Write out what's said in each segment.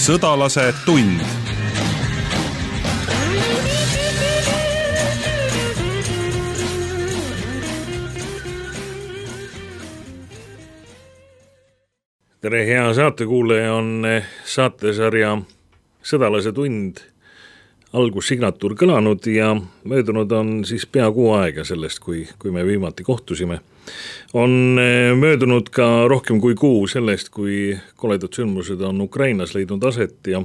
Sõdalase tund. Tere, hea saatekuulaja, on saatesarja Sõdalase tund algussignatuur kõlanud ja möödunud on siis pea kuu aega sellest, kui me viimati kohtusime. On möödunud ka rohkem kui kuu sellest, kui koledad sündmused on Ukrainas leidnud aset ja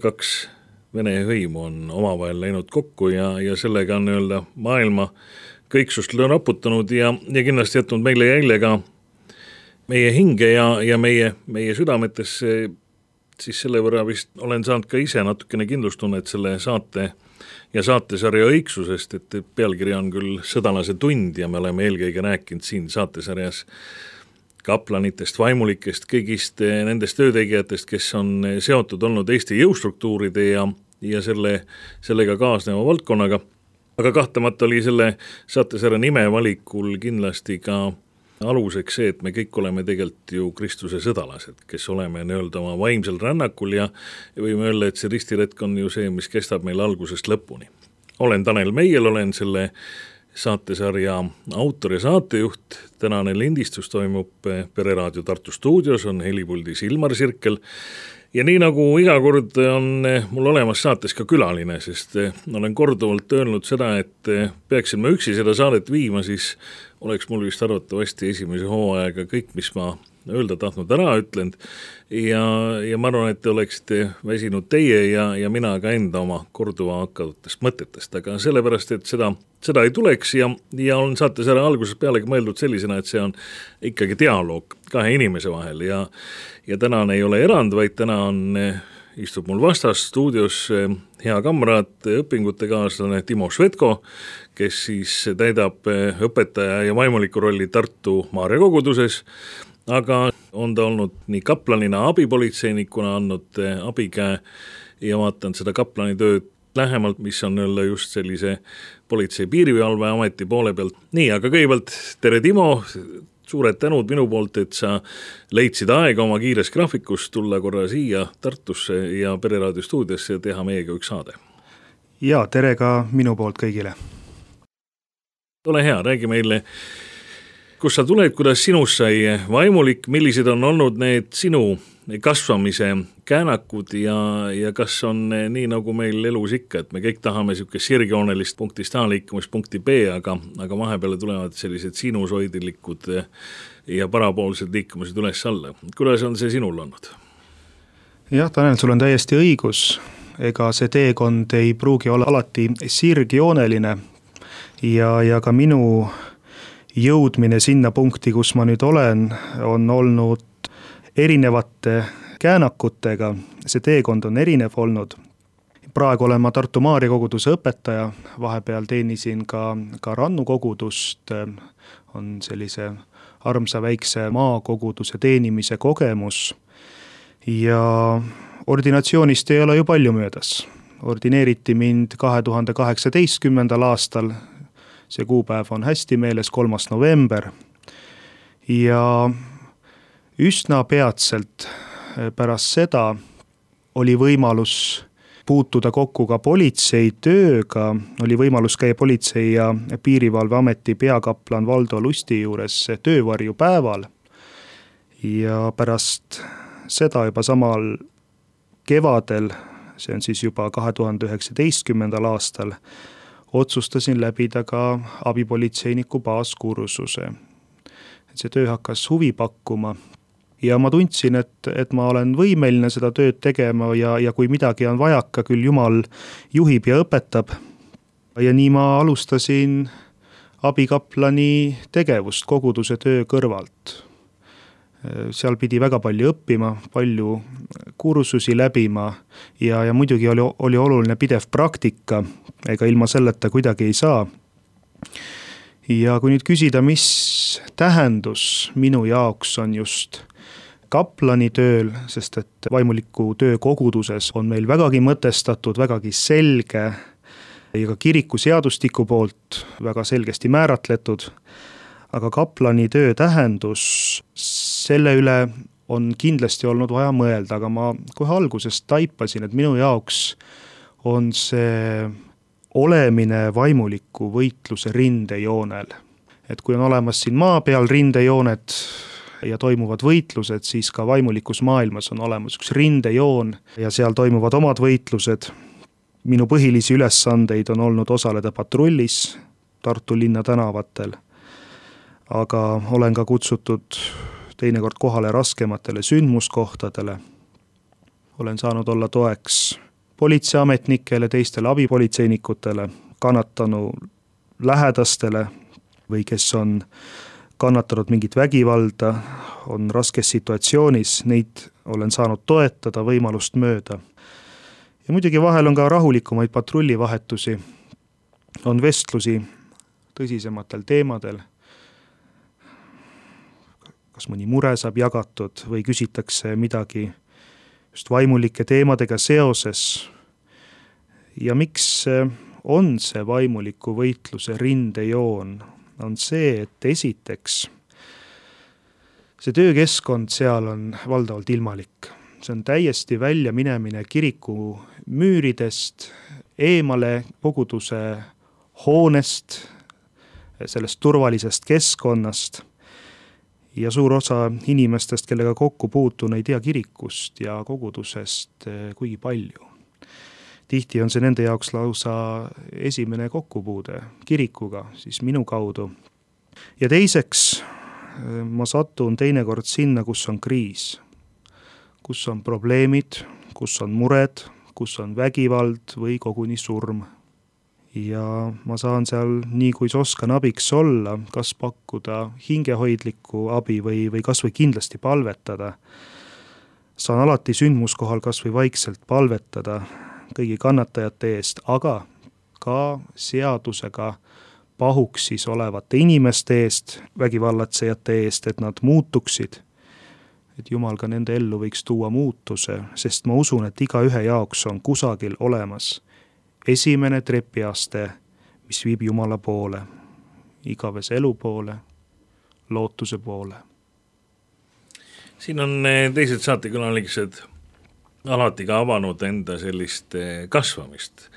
kaks Vene hõimu on omavahel läinud kokku ja sellega on öelda maailma kõiksust raputanud ja kindlasti jätnud meile jälje ka meie hinge ja meie südametesse, siis selle võrra vist olen saanud ka ise natukene kindlustunnet selle saate ja saatesarja õigsusest, et pealkiri on küll Sõdalase tund ja me oleme eelkõige rääkinud siin saatesarjas kaplanitest, vaimulikest, kõigist nendest töötegijatest, kes on seotud olnud Eesti jõustruktuuride ja sellega kaasneva valdkonnaga. Aga kahtlemata oli selle saatesarja nime valikul kindlasti ka aluseks see, et me kõik oleme tegelikult ju Kristuse sõdalased, kes oleme nii-öelda oma vaimsel rännakul ja võime öelda, et see ristiretk on ju see, mis kestab meil algusest lõpuni. Olen Tanel Meiel, olen selle saatesarja autor ja saatejuht. Tänane lindistus toimub Pereraadio Tartu stuudios, on helipuldis Ilmar Sirkel. Ja nii nagu iga kord on mul olemas saates ka külaline, sest olen korduvalt öelnud seda, et peaksin ma üksi seda saadet viima, siis oleks mul vist arvatavasti esimese hooaega kõik, mis ma öelda tahtnud ära ütlenud ja ma arvan, et te oleksite väsinud teie ja mina ka enda oma korduva hakkavatest mõtetest, aga sellepärast, et seda ei tuleks ja on saatesarja alguses pealegi mõeldud sellisena, et see on ikkagi dialoog kahe inimese vahel ja tänane ei ole erand, vaid täna istub mul vastas stuudios hea kamraad, õpingutekaaslane Timo Švedko, kes siis täidab õpetaja ja vaimuliku rolli Tartu Maarja koguduses, aga on ta olnud nii kaplanina, abipolitseinikuna andnud abikäe ja vaatan seda kaplani tööd lähemalt, mis on öelda just sellise politsei piirivalveameti poole pealt. Nii, aga kõigepealt tere Timo, suured tänud minu poolt, et sa leidsid aega oma kiires graafikus tulla korra siia Tartusse ja Pereraadio stuudiosse ja teha meiega üks saade. Ja tere ka minu poolt kõigile. Ole hea, räägi meile, kus sa tuled, kuidas sinust sai vaimulik, millised on olnud need sinu kasvamise käänakud ja kas on nii nagu meil elus ikka, et me kõik tahame niisugust sirgjoonelist punktist A liikumist punkti B, aga vahepeale tulevad sellised sinusoidilikud ja parapoolsed liikumised üles alla. Kuidas on see sinul olnud? Jah, Tanel, sul on täiesti õigus. Ega see teekond ei pruugi olla alati sirgjooneline ja ka minu jõudmine sinna punkti, kus ma nüüd olen, on olnud erinevate käänakutega. See teekond on erinev olnud. Praegu olen ma Tartu Maarja koguduse õpetaja, vahepeal teenisin ka Rannu kogudust, on sellise armsa väikse maakoguduse teenimise kogemus ja ordinatsioonist ei ole ju palju möödas. Ordineeriti mind 2018. aastal, see kuupäev on hästi meeles, 3. november ja üsna peatselt pärast seda oli võimalus puutuda kokku ka politsei tööga, oli võimalus käia politsei ja piirivalveameti peakaplan Valdo Lusti juures töövarjupäeval ja pärast seda juba samal kevadel, see on siis juba 2019. aastal, otsustasin läbida ka abipolitseiniku baaskursuse. See töö hakkas huvi pakkuma ja ma tundsin, et ma olen võimeline seda tööd tegema ja kui midagi on vajaka, küll Jumal juhib ja õpetab. Ja nii ma alustasin abikaplani tegevust koguduse töö kõrvalt. Seal pidi väga palju õppima, palju kursusi läbima ja muidugi oli oluline pidev praktika, ega ilma selleta kuidagi ei saa. Ja kui nüüd küsida, mis tähendus minu jaoks on just kaplani tööl, sest et vaimuliku töö koguduses on meil vägagi mõtestatud, vägagi selge ja ka kiriku seadustiku poolt väga selgesti määratletud, aga kaplani töö tähendus, selle üle on kindlasti olnud vaja mõelda, aga ma kohe algusest taipasin, et minu jaoks on see olemine vaimuliku võitluse rindejoonel. Et kui on olemas siin maa peal rindejooned ja toimuvad võitlused, siis ka vaimulikus maailmas on olemas üks rindejoon ja seal toimuvad omad võitlused. Minu põhilisi ülesandeid on olnud osaleda patrullis Tartu linna tänavatel, aga olen ka kutsutud teinekord kohale raskematele sündmuskohtadele. Olen saanud olla toeks politseiametnikele, teistele abipolitseinikutele, kannatanu lähedastele või kes on kannatanud mingit vägivalda, on raskes situatsioonis, neid olen saanud toetada võimalust mööda. Ja muidugi vahel on ka rahulikumaid patrullivahetusi, on vestlusi tõsisematel teemadel, kas mõni mure saab jagatud või küsitakse midagi just vaimulike teemadega seoses. Ja miks on see vaimuliku võitluse rindejoon? On see, et esiteks see töökeskkond seal on valdavalt ilmalik. See on täiesti välja minemine kiriku müüridest, eemale koguduse hoonest, sellest turvalisest keskkonnast ja suur osa inimestest, kellega kokku puutun, ei tea kirikust ja kogudusest kuigi palju. Tihti on see nende jaoks lausa esimene kokkupuude kirikuga, siis minu kaudu. Ja teiseks, ma satun teinekord sinna, kus on kriis, kus on probleemid, kus on mured, kus on vägivald või koguni surm. Ja ma saan seal nii kui oskan abiks olla, kas pakkuda hingehoidlikku abi või kas või kindlasti palvetada. Saan alati sündmuskohal kas või vaikselt palvetada kõigi kannatajate eest, aga ka seadusega pahuksis olevate inimeste eest, vägivallatsejate eest, et nad muutuksid, et Jumal ka nende ellu võiks tuua muutuse, sest ma usun, et igaühe jaoks on kusagil olemas esimene trepiaste, mis viib Jumala poole, igavese elu poole, lootuse poole. Siin on teised saatekülalised alati ka avanud enda sellist kasvamist.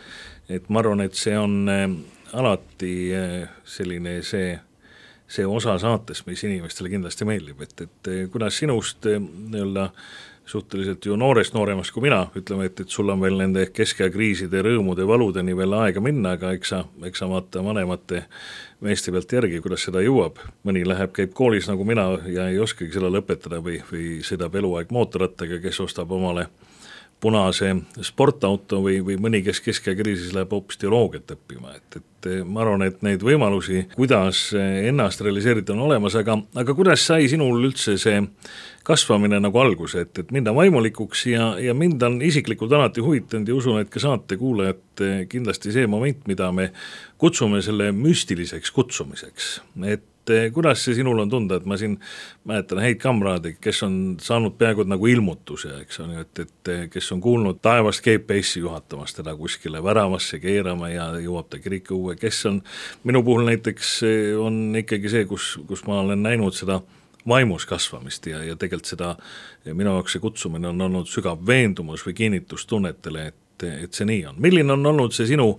Et ma arvan, et see on alati selline see osa saatest, mis inimestele kindlasti meeldib, et kuidas sinust nii-öelda suhteliselt ju nooremast kui mina, ütleme, et sul on veel nende keskea kriiside, rõõmude, valudeni veel aega minna, aga eks sa vaata vanemate meeste pealt järgi, kuidas seda jõuab. Mõni läheb, käib koolis nagu mina ja ei oskagi seda lõpetada või sõidab eluaeg mootorrattaga, kes ostab omale punase sportauto või mõni, kes keskea kriisis läheb hoopis teoloogiat õppima, et ma arvan, et neid võimalusi, kuidas ennast realiseerida on olemas, aga kuidas sai sinul üldse see kasvamine nagu alguse, et minna vaimulikuks ja mind on isiklikult alati huvitanud ja usun, et ka saatekuulajad kindlasti see moment, mida me kutsume selle müstiliseks kutsumiseks, et kuidas see sinul on tunda, et ma siin mäletan häid kamraadi, kes on saanud peaaegu nagu ilmutuse, eks on, et kes on kuulnud taevast GPS-i juhatamas teda kuskile väravasse keerama ja jõuab ta kiriku uue, kes on, minu puhul näiteks on ikkagi see, kus ma olen näinud seda vaimus kasvamist ja tegelikult seda, minu jaoks see kutsumine on olnud sügav veendumus või kinnitus tunnetele, et see nii on. Milline on olnud see sinu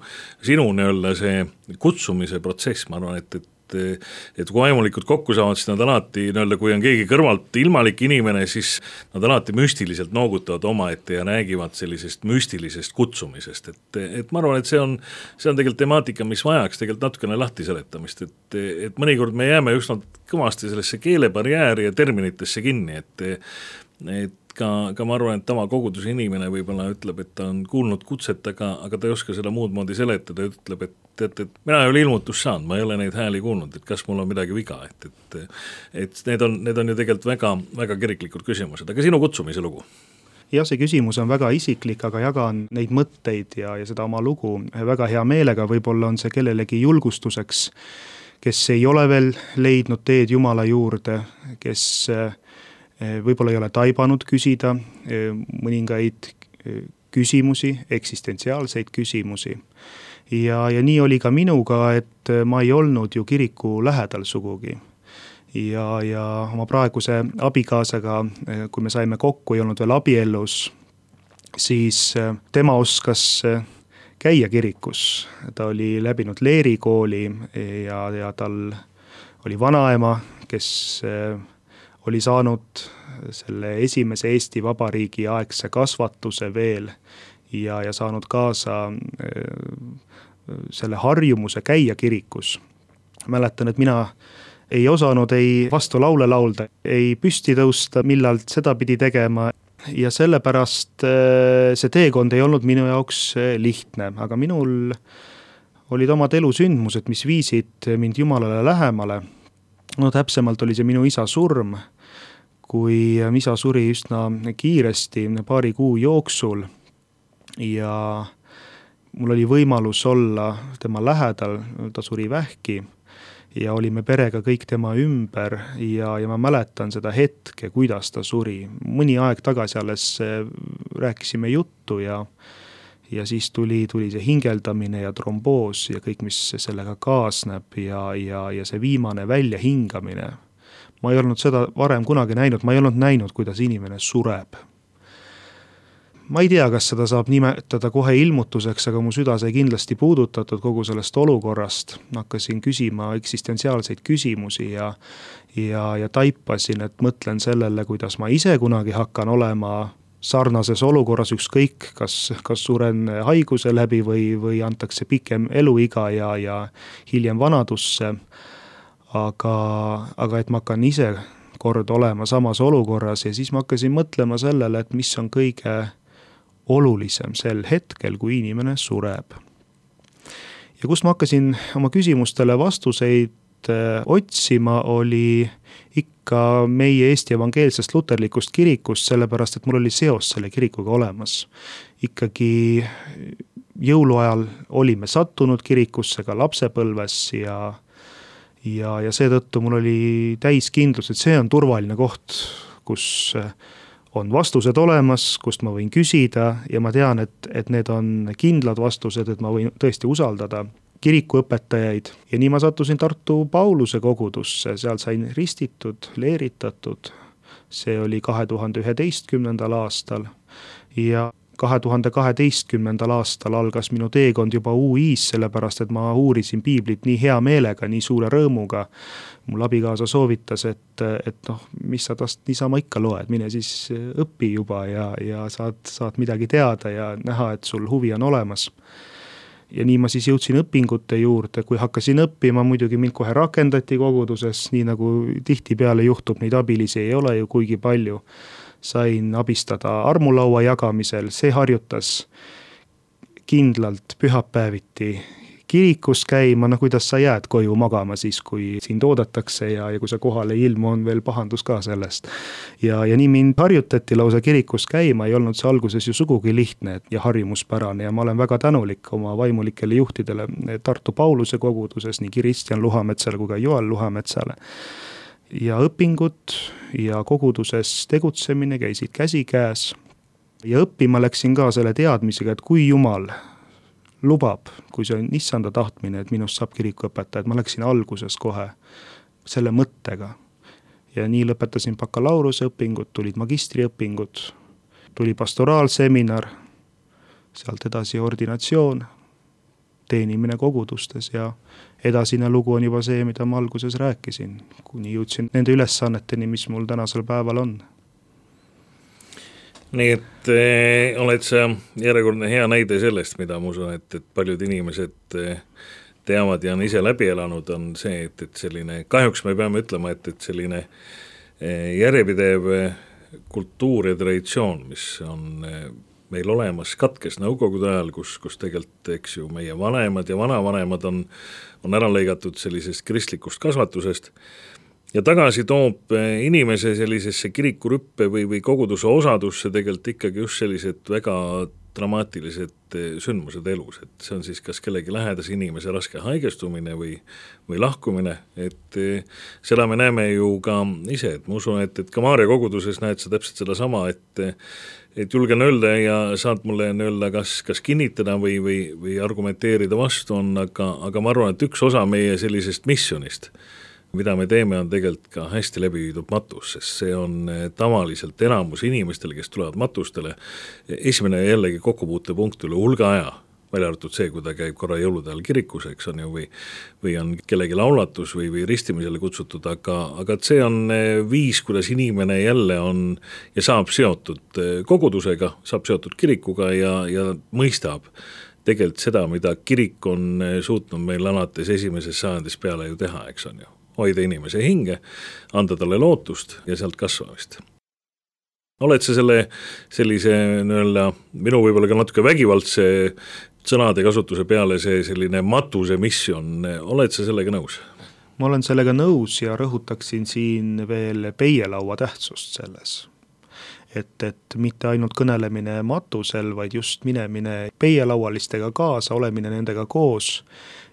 nii-öelda see kutsumise protsess, ma arvan, et kui vaimulikud kokku saavad, siis nad alati, kui on keegi kõrvalt ilmalik inimene, siis nad alati müstiliselt noogutavad omaette ja räägivad sellisest müstilisest kutsumisest, et ma arvan, et see on tegelikult temaatika, mis vajaks tegelikult natukene lahti seletamist, et mõnikord me jääme just kõvasti sellesse keelebarjääri ja terminitesse kinni, et ka ma arvan, et tavakoguduse inimene võib-olla ütleb, et ta on kuulnud kutset, aga ta ei oska seda muud moodi seletada, ütleb, et mina ei ole ilmutust saanud, ma ei ole neid hääli kuulnud, et kas mul on midagi viga, et need on ju tegelikult väga, väga kiriklikud küsimused, aga sinu kutsumise lugu? Jah, see küsimus on väga isiklik, aga jagan neid mõtteid ja seda oma lugu väga hea meelega, võib-olla on see kellelegi julgustuseks, kes ei ole veel leidnud teed Jumala juurde, kes võib-olla ei ole taibanud küsida mõningaid küsimusi, eksistentsiaalseid küsimusi. Ja nii oli ka minuga, et ma ei olnud ju kiriku lähedal sugugi. ja oma praeguse abikaasaga, kui me saime kokku, ei olnud veel abiellus, siis tema oskas käia kirikus. Ta oli läbinud leerikooli ja tal oli vanaema, kes oli saanud selle esimese Eesti Vabariigi aegse kasvatuse veel ja saanud kaasa selle harjumuse käia kirikus. Mäletan, et mina ei osanud ei vastu laule laulda, ei püsti tõusta, millal seda pidi tegema ja sellepärast see teekond ei olnud minu jaoks lihtne, aga minul olid omad elusündmused, mis viisid mind Jumalale lähemale. No täpsemalt oli see minu isa surm, kui isa suri üsna kiiresti, paari kuu jooksul ja mul oli võimalus olla tema lähedal, ta suri vähki ja olime perega kõik tema ümber ja ma mäletan seda hetke, kuidas ta suri. Mõni aeg tagasi alles rääkisime juttu ja siis tuli see hingeldamine ja tromboos ja kõik, mis sellega kaasneb ja see viimane väljahingamine. Ma ei olnud seda varem kunagi näinud, ma ei olnud näinud, kuidas inimene sureb. Ma ei tea, kas seda saab nimetada kohe ilmutuseks, aga mu süda sai kindlasti puudutatud kogu sellest olukorrast. Hakkasin küsima eksistentsiaalseid küsimusi ja taipasin, et mõtlen sellele, kuidas ma ise kunagi hakkan olema sarnases olukorras ükskõik, kas suren haiguse läbi või antakse pikem eluiga ja hiljem vanadusse. Aga et ma hakkan ise kord olema samas olukorras ja siis ma hakkasin mõtlema sellele, et mis on kõige olulisem sel hetkel, kui inimene sureb. Ja kus ma hakkasin oma küsimustele vastuseid otsima, oli ikka meie Eesti evangeelsest luterlikust kirikust, sellepärast et mul oli seos selle kirikuga olemas. Ikkagi jõuluajal olime sattunud kirikusse ka lapsepõlves ja seetõttu mul oli täis kindlus, et see on turvaline koht, kus on vastused olemas, kust ma võin küsida ja ma tean, et need on kindlad vastused, et ma võin tõesti usaldada kirikuõpetajaid. Ja nii ma sattusin Tartu Pauluse kogudusse, seal sain ristitud, leeritatud. See oli 2011. aastal ja 2012. aastal algas minu teekond juba UI-s, sellepärast et ma uurisin piiblit nii hea meelega, nii suure rõõmuga. Mul abikaasa soovitas, et mis sa tast niisama ikka loed, mine siis õpi juba ja saad midagi teada ja näha, et sul huvi on olemas. Ja nii ma siis jõudsin õpingute juurde, kui hakkasin õppima, muidugi mind kohe rakendati koguduses, nii nagu tihtipeale juhtub, neid abilisi ei ole ju kuigi palju. Sain abistada armulaua jagamisel, see harjutas kindlalt pühapäeviti kirikus käima, kuidas sa jääd koju magama siis, kui sind oodatakse ja kui sa kohale ei ilmu, on veel pahandus ka sellest. Ja nii mind harjutati lausa kirikus käima, ei olnud see alguses ju sugugi lihtne ja harjumuspärane ja ma olen väga tänulik oma vaimulikele juhtidele Tartu Pauluse koguduses, nii Kristjan Luhametsale kui ka Joel Luhametsale. Ja õpingud ja koguduses tegutsemine käisid käsikäes ja õppima läksin ka selle teadmisega, et kui Jumal lubab, kui see on issanda tahtmine, et minust saab kirikuõpetaja, et ma läksin alguses kohe selle mõttega. Ja nii lõpetasin bakalaureuse õpingud, tulid magistriõpingud, tuli pastoraalseminar, sealt edasi ordinatsioon, teenimine kogudustes ja edasine lugu on juba see, mida ma alguses rääkisin, kuni jõudsin nende ülesanneteni, mis mul tänasel päeval on. Nii et oled sa järjekordne hea näide sellest, mida ma usun, et paljud inimesed teavad ja on ise läbi elanud, on see, et selline, kahjuks me peame ütlema, et selline järjepidev kultuur ja traditsioon, mis on meil olemas, katkes nõukogude ajal, kus tegelikult, eks ju, meie vanemad ja vanavanemad on ära lõigatud sellisest kristlikust kasvatusest ja tagasi toob inimese sellisesse kirikurüppe või koguduse osadusse tegelikult ikkagi just sellised väga dramaatilised sündmused elus, et see on siis kas kellegi lähedase inimese raske haigestumine või lahkumine, et seda me näeme ju ka ise, et ma usun, et ka Maarja koguduses näed sa täpselt seda sama, et julgen öelda ja saad mulle öelda, kas kinnitada või argumenteerida vastu on, aga ma arvan, et üks osa meie sellisest missionist mida me teeme, on tegelikult ka hästi läbi viidud matus, sest see on tavaliselt enamus inimestele, kes tulevad matustele, esimene jällegi kokkupuutepunkt üle hulga aja, välja arvatud see, kui ta käib korra jõulude ajal kirikus, eks on ju, või on kellegi laulatus või ristimisele kutsutud, aga see on viis, kuidas inimene jälle on ja saab seotud kogudusega, saab seotud kirikuga ja mõistab tegelikult seda, mida kirik on suutnud meil alates esimesest sajandist peale ju teha, eks on ju, hoida inimese hinge, anda talle lootust ja sealt kasvamist. Oled sa sellise minu võib-olla ka natuke vägivaldse sõnade kasutuse peale see selline matuse missioon, oled sa sellega nõus? Ma olen sellega nõus ja rõhutaksin siin veel peielaua tähtsust selles. Et mitte ainult kõnelemine matusel, vaid just minemine peielaualistega kaasa, olemine nendega koos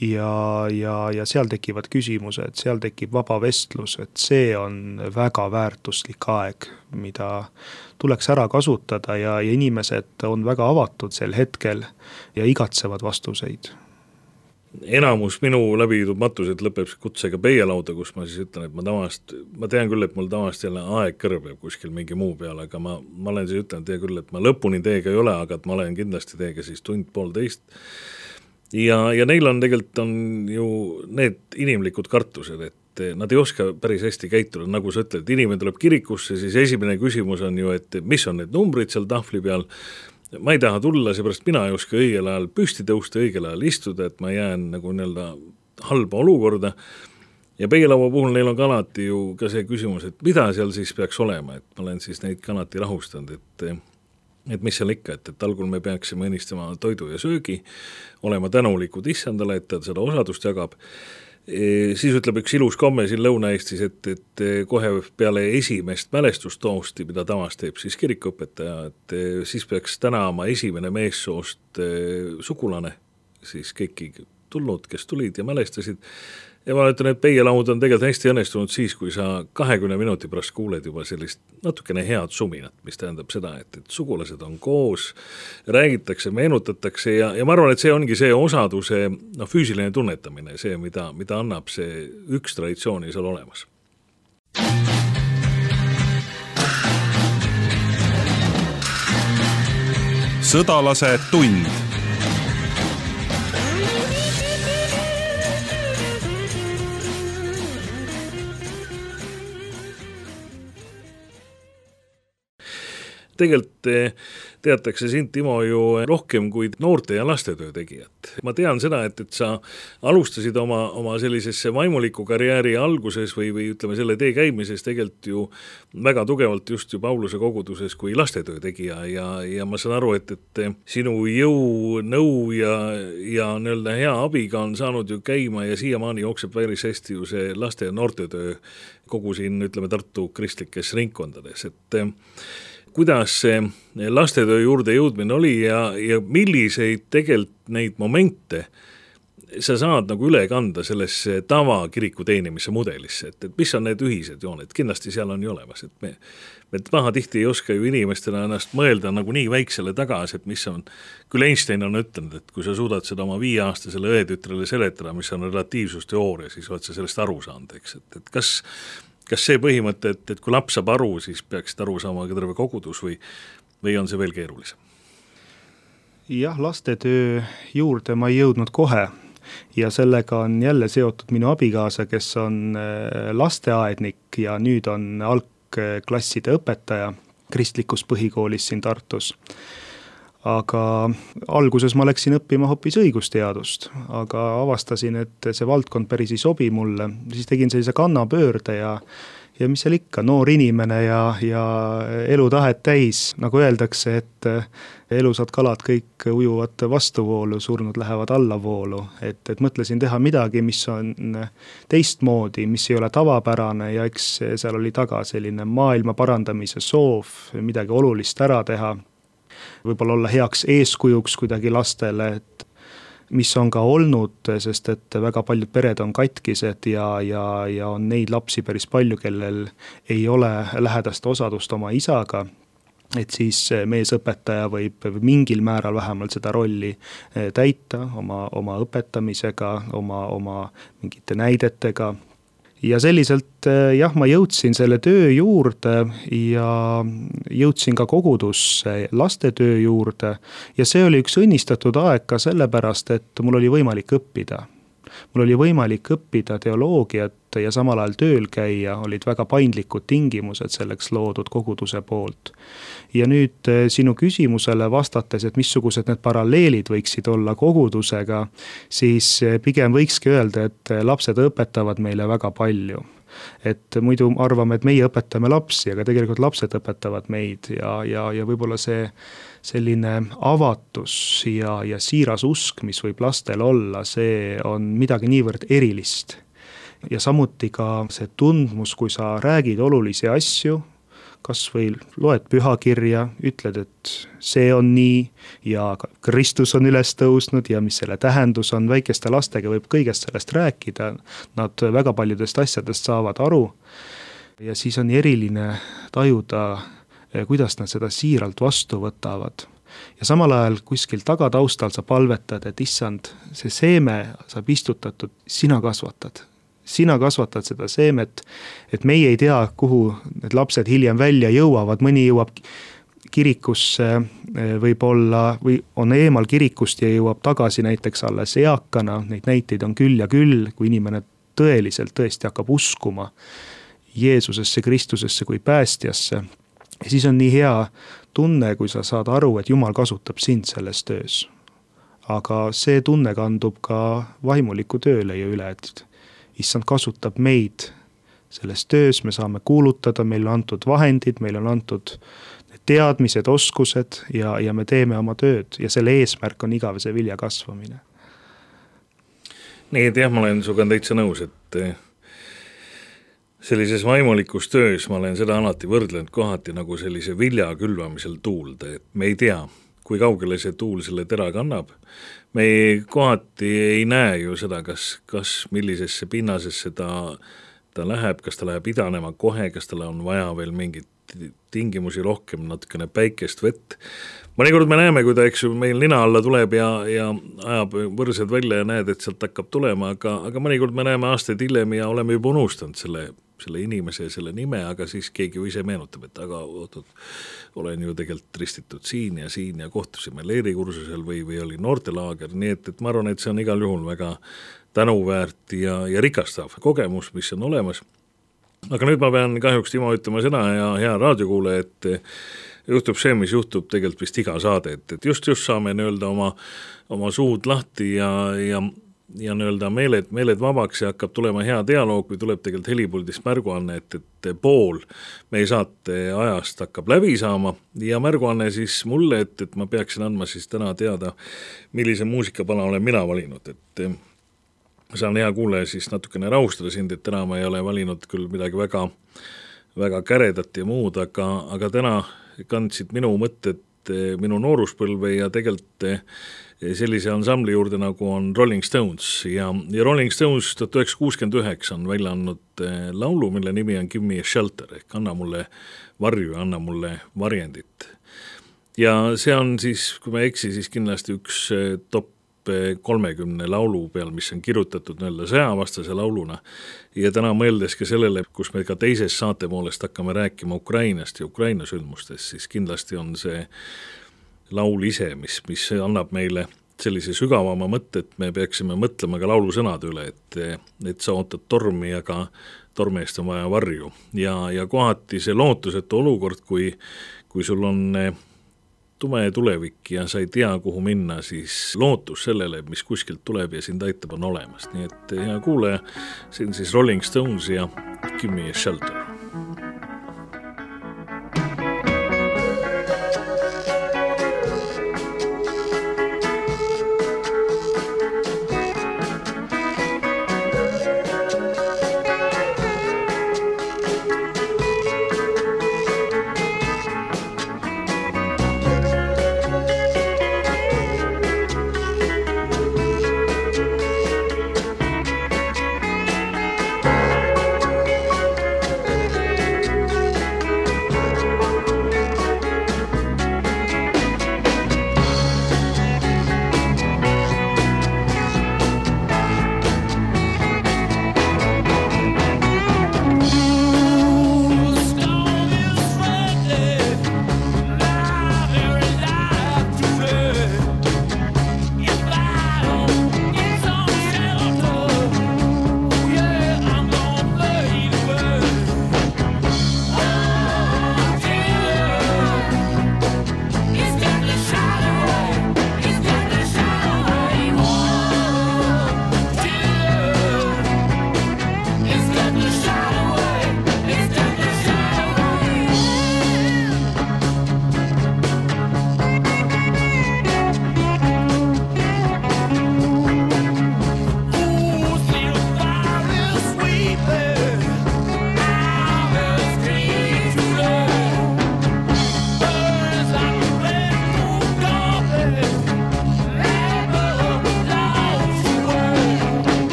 ja seal tekivad küsimused, seal tekib vaba vestlus, et see on väga väärtuslik aeg, mida tuleks ära kasutada ja inimesed on väga avatud sel hetkel ja igatsevad vastuseid. Enamus minu läbiviidud matused lõpeb kutsega peielauda, kus ma siis ütlen, et ma tean küll, et mul tavaliselt jälle aeg kõrbeb kuskil mingi muu peale, aga ma olen siis ütlen teie küll, et ma lõpuni teiega ei ole, aga et ma olen kindlasti teiega siis tund-poolteist. Ja neil on tegelikult on ju need inimlikud kartused, et nad ei oska päris hästi käituda, nagu sa ütled, inimene tuleb kirikusse, siis esimene küsimus on ju, et mis on need numbrid seal tahvli peal, ma ei taha tulla, seepärast mina ei oska õigel ajal püsti tõusta, õigel ajal istuda, et ma jään nagu halba olukorda. Ja peielaua puhul neil on ka alati ju ka see küsimus, et mida seal siis peaks olema, et ma olen siis neid ka alati rahustanud, et mis seal ikka, et algul me peaksime õnnistama toidu ja söögi, olema tänulikud issandale, et ta seda osadust jagab. Siis ütleb üks ilus komme siin Lõuna-Eestis, et kohe peale esimest mälestustoosti, mida tavast teeb siis kirikuõpetaja, et siis peaks tänama esimene meessoost sugulane, siis kõiki tulnud, kes tulid ja mälestasid. Ja ma ütlen, et peielaud on tegelikult hästi õnnestunud siis, kui sa 20 minuti pärast kuuled juba sellist natukene head suminat, mis tähendab seda, et sugulased on koos, räägitakse, meenutatakse ja ma arvan, et see ongi see osaduse füüsiline tunnetamine, see, mida annab see üks traditsiooni seal olemas. Sõdalase tund. Tegelikult teatakse sind, Timo, ju rohkem kui noorte ja lastetöö tegijat. Ma tean seda, et sa alustasid oma sellisesse vaimuliku karjääri alguses või ütleme selle tee käimises tegelikult ju väga tugevalt just ju Pauluse koguduses kui lastetöö tegija ja ma saan aru, et sinu jõu, nõu ja hea abiga on saanud ju käima ja siiamaani jookseb päris hästi ju see laste- ja noortetöö kogu siin, ütleme, Tartu kristlikes ringkondades, et kuidas see lastetöö juurde jõudmine oli ja milliseid tegelikult neid momente sa saad nagu üle kanda sellesse tavakiriku teenimise mudelisse, et mis on need ühised jooned, kindlasti seal on ju olemas, et me tihti ei oska ju inimestena ennast mõelda nagu nii väiksele tagasi, et mis on, küll Einstein on ütlenud, et kui sa suudad seda oma 5-aastasele õetütrele seletada, mis on relatiivsusteooria, siis oled sa sellest aru saanud, eks, et kas see põhimõte, et kui laps saab aru, siis peaksid aru saama ka terve kogudus või on see veel keerulisem? Jah, lastetöö juurde ma ei jõudnud kohe ja sellega on jälle seotud minu abikaasa, kes on lasteaednik ja nüüd on algklasside õpetaja kristlikus põhikoolis siin Tartus. Aga alguses ma läksin õppima hoopis õigusteadust, aga avastasin, et see valdkond päris ei sobi mulle. Siis tegin sellise kannapöörde ja mis seal ikka, noor inimene ja elutahet täis, nagu öeldakse, et elusad kalad kõik ujuvad vastuvoolu, surnud lähevad allavoolu. Et mõtlesin teha midagi, mis on teistmoodi, mis ei ole tavapärane ja eks seal oli taga selline maailma parandamise soov, midagi olulist ära teha. Võib-olla olla heaks eeskujuks kuidagi lastele, et mis on ka olnud, sest et väga paljud pered on katkised ja on neid lapsi päris palju, kellel ei ole lähedast osadust oma isaga, et siis meesõpetaja võib mingil määral vähemalt seda rolli täita oma õpetamisega, oma mingite näidetega. ja selliselt jah, ma jõudsin selle töö juurde ja jõudsin ka kogudusse lastetöö juurde ja see oli üks õnnistatud aeg ka sellepärast, et mul oli võimalik õppida. Mul oli võimalik õppida teoloogiat ja samal ajal tööl käia, olid väga paindlikud tingimused selleks loodud koguduse poolt. Ja nüüd sinu küsimusele vastates, et missugused need paralleelid võiksid olla kogudusega, siis pigem võikski öelda, et lapsed õpetavad meile väga palju. Et muidu arvame, et meie õpetame lapsi, aga tegelikult lapsed õpetavad meid ja võib-olla see selline avatus ja siiras usk, mis võib lastel olla, see on midagi niivõrd erilist. Ja samuti ka see tundmus, kui sa räägid olulisi asju, kas või loed pühakirja, ütled, et see on nii ja Kristus on üles tõusnud ja mis selle tähendus on, väikeste lastega võib kõigest sellest rääkida, nad väga paljudest asjadest saavad aru ja siis on eriline tajuda, kuidas nad seda siiralt vastu võtavad. Ja samal ajal kuskil tagataustal sa palvetad, et issand, see seeme saab istutatud, sina kasvatad seda seemet, et meie ei tea, kuhu need lapsed hiljem välja jõuavad, mõni jõuab kirikusse võib-olla või on eemal kirikust ja jõuab tagasi näiteks alles eakana, neid näiteid on küll ja küll, kui inimene tõesti hakkab uskuma Jeesusesse, Kristusesse kui päästjasse. Ja siis on nii hea tunne, kui sa saad aru, et Jumal kasutab sind selles töös. Aga see tunne kandub ka vaimuliku tööle ja üle, et issand kasutab meid selles töös, me saame kuulutada, meil on antud vahendid, meil on antud teadmised, oskused ja me teeme oma tööd ja selle eesmärk on igavese vilja kasvamine. Nii, et jah, ma olen suga täitsa nõus, et sellises vaimulikus töös ma olen seda alati võrdlenud kohati nagu sellise vilja külvamisel tuulde, et me ei tea, kui kaugele see tuul selle tera kannab. Me kohati ei näe ju seda, kas millisesse pinnasesse ta läheb, kas ta läheb idanema kohe, kas tal on vaja veel mingit tingimusi rohkem, natukene päikest, vett. Mõnikord me näeme, kui ta meil nina alla tuleb ja ajab võrsed välja ja näed, et sealt hakkab tulema, aga mõnikord me näeme aastaid hiljem ja oleme juba unustanud selle inimese ja selle nime, aga siis keegi ise meenutab, et aga olen ju tegelikult ristitud siin ja kohtusime leerikursusel või oli noortelaager, nii et ma arvan, et see on igal juhul väga tänuväärt ja rikastav kogemus, mis on olemas. Aga nüüd ma pean kahjuks Timo ütlema seda ja hea raadiokuule, et juhtub see, mis juhtub tegelikult vist iga saade, et just saame öelda oma suud lahti ja öelda meeled vabaks ja hakkab tulema hea dialoog, kui tuleb tegelikult helipuldist märguanne, et pool meie saate ajast hakkab läbi saama ja märguanne siis mulle, et ma peaksin andma siis täna teada, millise muusikapala olen mina valinud, et saan hea kuule siis natukene rahustada sind, et täna ma ei ole valinud küll midagi väga, väga käredat ja muud, aga täna kandsid minu mõtted minu nooruspõlve ja tegelikult sellise ansambli juurde nagu on Rolling Stones ja Rolling Stones 1969 on välja andnud laulu, mille nimi on Give Me a Shelter ehk anna mulle varju ja anna mulle varjendit. Ja see on siis, kui ma eksi, siis kindlasti üks top 30 laulu peal, mis on kirjutatud sõjavastase lauluna ja täna mõeldes ka sellele, kus me ka teises saate poolest hakkame rääkima Ukrainast ja Ukraina sündmustest, siis kindlasti on see laul ise, mis annab meile sellise sügavama mõtte, et me peaksime mõtlema ka laulu sõnade üle, et sa ootad tormi, aga tormi eest on vaja varju ja kohati see lootusetu olukord, kui sul on tume tulevik ja sa ei tea, kuhu minna, siis lootus sellele, mis kuskilt tuleb ja sind aitab, on olemas. Nii et hea kuulaja, siin siis Rolling Stones ja Give Me a Shelter.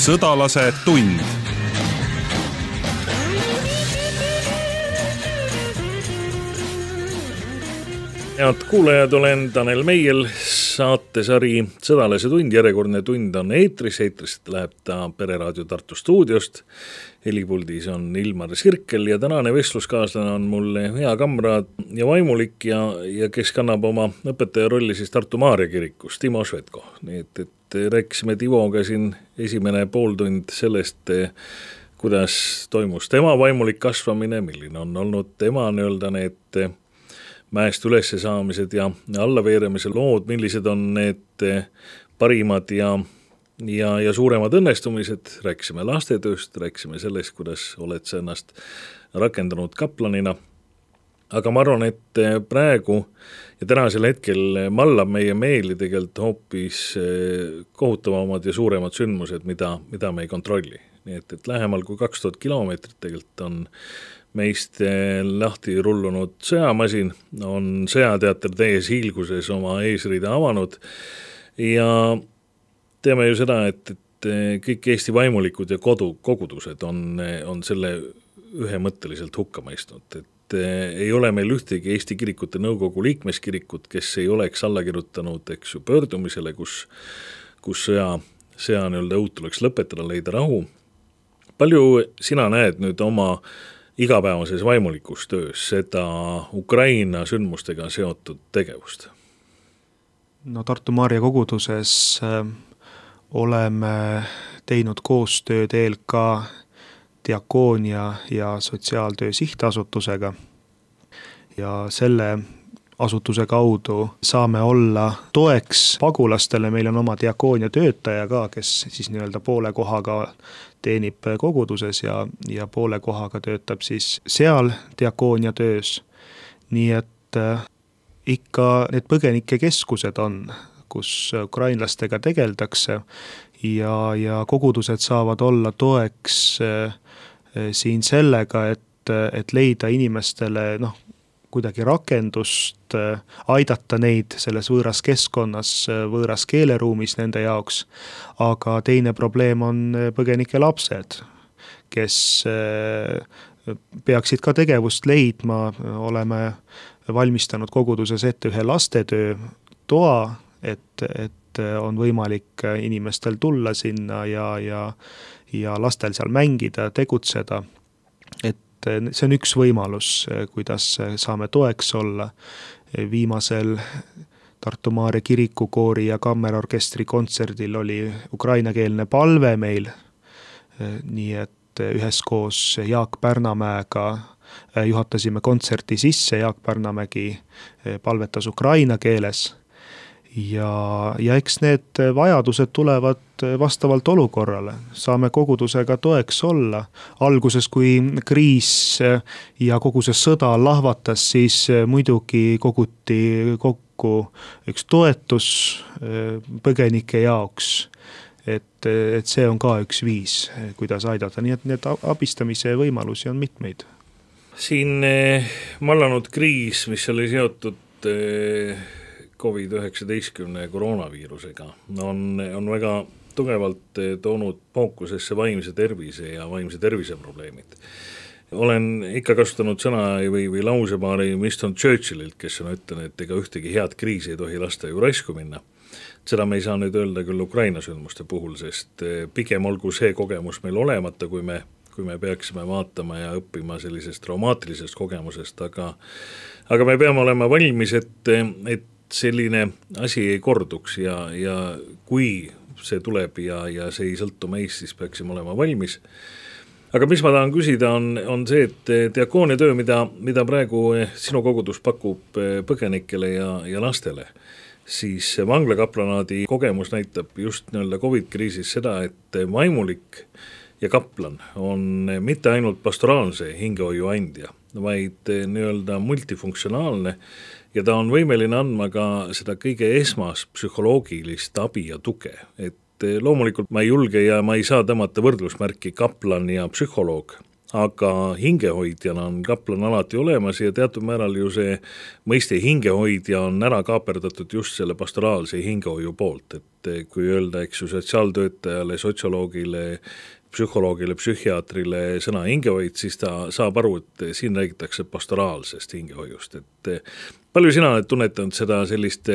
sõdalase tund. Head kuulajad, olen Tanel Meiel, saatesari Sõdalase tund, järjekordne tund on eetrist läheb ta Pereraadio Tartu stuudiost. Helipuldis on Ilmar Sirkel ja tänane vestluskaaslane on mulle hea kamraad ja vaimulik ja kes kannab oma õpetaja rolli siis Tartu Maarja kirikus, Timo Švedko. Nii et rääkisime Tivoga siin esimene pooltund sellest, kuidas toimus tema vaimulik kasvamine, milline on olnud tema need mäest ülesse saamised ja allaveeremise lood, millised on need parimad ja suuremad õnnestumised, rääkisime lastetööst, rääkisime sellest, kuidas oled sa ennast rakendanud kaplanina, aga ma arvan, et praegu ja tänasel hetkel mallab meie meeli tegelikult hoopis kohutavamad ja suuremad sündmused, mida me ei kontrolli. Nii et lähemal kui 2000 kilomeetrit tegelikult on meist lahti rullunud sõjamasin, on sõjateater täies hiilguses oma eesriide avanud ja teeme ju seda, et kõik Eesti vaimulikud ja kogudused on selle ühemõtteliselt hukka mõistnud, et ei ole meil ühtegi Eesti kirikute nõukogu liikmeskirikut, kes ei oleks alla kirjutanud pöördumisele, kus sõja õud tuleks lõpetada, leida rahu. Palju sina näed nüüd oma igapäevases vaimulikus töös seda Ukraina sündmustega seotud tegevust? No Tartu Maarja koguduses oleme teinud koostööd ELK diakoonia ja sotsiaaltöö sihtasutusega ja selle asutuse kaudu saame olla toeks pagulastele. Meil on oma diakoonia töötaja ka, kes siis poole kohaga teenib koguduses ja poole kohaga töötab siis seal diakoonia töös. Nii et ikka need põgenikekeskused on, kus ukrainlastega tegeldakse ja kogudused saavad olla toeks siin sellega, et leida inimestele kuidagi rakendust, aidata neid selles võõras keskkonnas, võõras keeleruumis nende jaoks, aga teine probleem on põgenike lapsed, kes peaksid ka tegevust leidma. Oleme valmistanud koguduses ette ühe lastetöö toa, et on võimalik inimestel tulla sinna ja lastel seal mängida, tegutseda. See on üks võimalus, kuidas saame toeks olla. Viimasel Tartu Maarja kirikukoori ja kammerorkestri kontserdil oli ukrainakeelne palve meil, nii et üheskoos Jaak Pärnamäega juhatasime kontserti sisse. Jaak Pärnamägi palvetas ukraina keeles ja eks need vajadused tulevad vastavalt olukorrale. Saame kogudusega toeks olla. Alguses, kui kriis ja kogu see sõda lahvatas, siis muidugi koguti kokku üks toetus põgenike jaoks. Et see on ka üks viis, kuidas aidata. Nii et need abistamise võimalusi on mitmeid. Siin mallanud kriis, mis oli seotud COVID-19 koroonaviirusega, on väga tugevalt toonud fookusesse vaimse tervise ja vaimse tervise probleemid. Olen ikka kasutanud sõna või lausepaari Winston Churchillilt, kes on ütlenud, et ega ühtegi head kriisi ei tohi lasta ju raisku minna. Seda me ei saa nüüd öelda küll Ukraina sündmuste puhul, sest pigem olgu see kogemus meil olemata, kui me peaksime vaatama ja õppima sellisest traumaatilisest kogemusest, aga me peame olema valmis, et selline asi ei korduks ja kui see tuleb ja see ei sõltu meist, siis peaksime olema valmis. Aga mis ma tahan küsida on see, et diakoonia töö, mida praegu sinu kogudus pakub põgenikele ja lastele, siis vanglakaplanaadi kogemus näitab just COVID-kriisis seda, et vaimulik ja kaplan on mitte ainult pastoraalse hingehoiu andja, vaid multifunktsionaalne ja ta on võimeline andma ka seda kõige esmas psühholoogilist abi ja tuge. Et loomulikult ma ei julge ja ma ei saa tõmmata võrdlusmärki kaplan ja psühholoog, aga hingehoidjana on kaplan alati olemas ja teatud määral ju see mõiste hingehoidja on ära kaaperdatud just selle pastoraalse hingehoiu poolt, et kui öelda, eks ju, sotsiaaltöötajale, sotsioloogile, psühholoogile, psühhiaatrile sõna hingehoid, siis ta saab aru, et siin räägitakse pastoraalsest hingehoiust, et palju sina oled tunnetanud seda sellist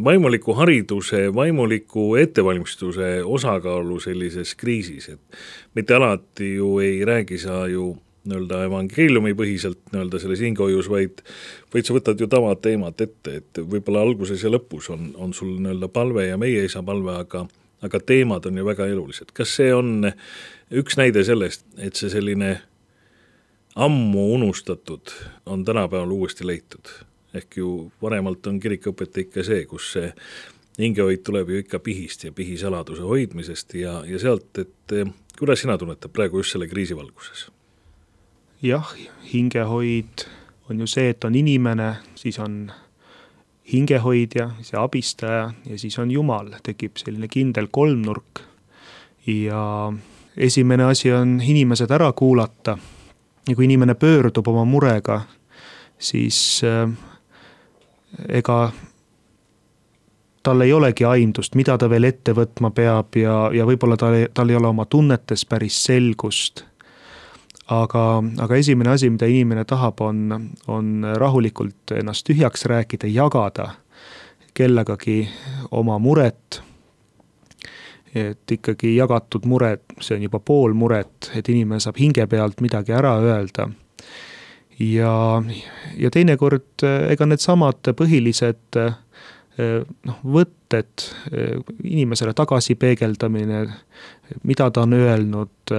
vaimuliku hariduse, vaimuliku ettevalmistuse osakaalu sellises kriisis, et mitte alati ju ei räägi sa ju nii-öelda evangeeliumi põhiselt nii-öelda selles hingehoius, vaid sa võtad ju tavad teemad ette, et võib-olla alguses ja lõpus on sul nii-öelda palve ja meie isa palve, aga teemad on ju väga elulised. Kas see on üks näide sellest, et see selline ammu unustatud on tänapäeval uuesti leitud? Ehk ju varemalt on kirikuõpetaja ikka see, kus see hingehoid tuleb ju ikka pihist ja pihisaladuse hoidmisest ja sealt, et kuidas sina tunnetad praegu just selle kriisi valguses? Jah, hingehoid on ju see, et on inimene, siis on hingehoidja, see abistaja ja siis on Jumal, tekib selline kindel kolmnurk. Ja esimene asi on inimesed ära kuulata ja kui inimene pöördub oma murega, siis ega tal ei olegi aimdust, mida ta veel ette võtma peab ja võib-olla tal ei ole oma tunnetes päris selgust. Aga esimene asi, mida inimene tahab, on rahulikult ennast tühjaks rääkida, jagada kellegagi oma muret. Et ikkagi jagatud muret, see on juba pool muret, et inimene saab hinge pealt midagi ära öelda. Ja teinekord ega need samad põhilised võtted, inimesele tagasi peegeldamine, mida ta on öelnud,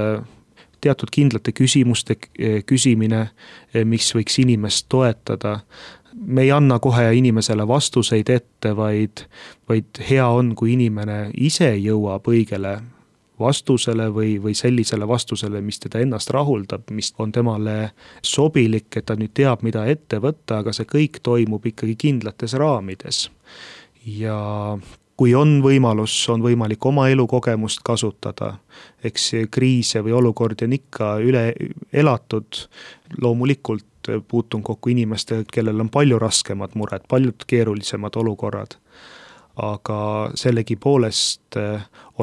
teatud kindlate küsimuste küsimine, mis võiks inimest toetada. Me ei anna kohe inimesele vastuseid ette, vaid hea on, kui inimene ise jõuab õigele vastusele või sellisele vastusele, mis teda ennast rahuldab, mis on temale sobilik, et ta nüüd teab, mida ette võtta, aga see kõik toimub ikkagi kindlates raamides. Ja kui on võimalus, on võimalik oma elukogemust kasutada, eks kriise või olukordi on ikka üle elatud, loomulikult puutun kokku inimeste, kellel on palju raskemad mured, paljud keerulisemad olukorrad. Aga sellegi poolest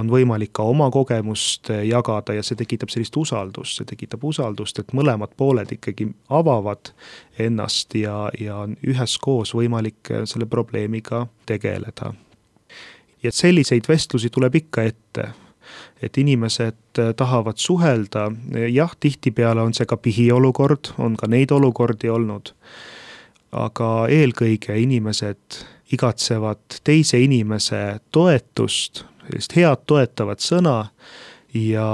on võimalik ka oma kogemust jagada ja see tekitab sellist usaldust, et mõlemad pooled ikkagi avavad ennast ja on üheskoos võimalik selle probleemiga tegeleda. Ja selliseid vestlusi tuleb ikka ette, et inimesed tahavad suhelda, jah, tihtipeale on see ka pihiolukord, on ka neid olukordi olnud, aga eelkõige inimesed igatsevad teise inimese toetust, sellist head toetavat sõna ja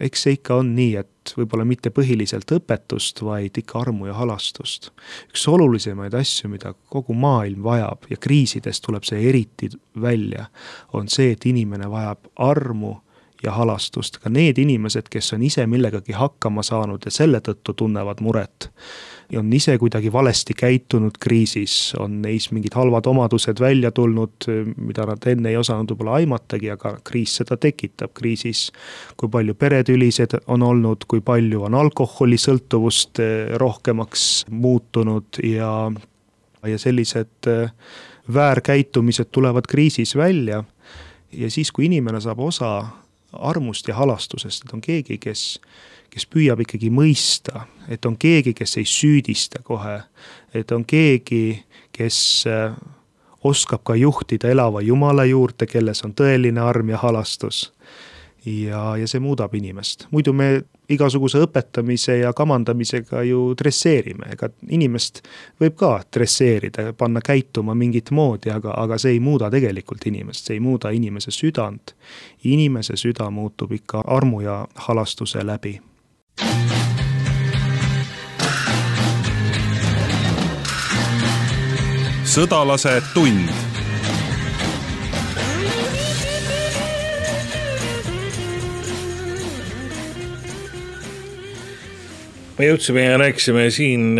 eks see ikka on nii, et võib-olla mitte põhiliselt õpetust, vaid ikka armu ja halastust. Üks olulisemaid asju, mida kogu maailm vajab ja kriisidest tuleb see eriti välja, on see, et inimene vajab armu ja halastust. Ka need inimesed, kes on ise millegagi hakkama saanud ja selle tõttu tunnevad muret, on ise kuidagi valesti käitunud kriisis, on neis mingid halvad omadused välja tulnud, mida nad enne ei osanud võib-olla aimatagi, aga kriis seda tekitab. Kriisis, kui palju peretülised on olnud, kui palju on alkoholisõltuvust rohkemaks muutunud ja sellised väärkäitumised tulevad kriisis välja. Ja siis, kui inimene saab osa armust ja halastusest, et on keegi, kes püüab ikkagi mõista, et on keegi, kes ei süüdista kohe, et on keegi, kes oskab ka juhtida elava Jumala juurde, kelles on tõeline arm ja halastus. Ja see muudab inimest. Muidu me igasuguse õpetamise ja kamandamisega ju dresseerime. Ega inimest võib ka dresseerida, panna käituma mingit moodi, aga see ei muuda tegelikult inimest, see ei muuda inimese südant. Inimese süda muutub ikka armu ja halastuse läbi. Sõdalase tund. Me jõudsime ja rääkisime siin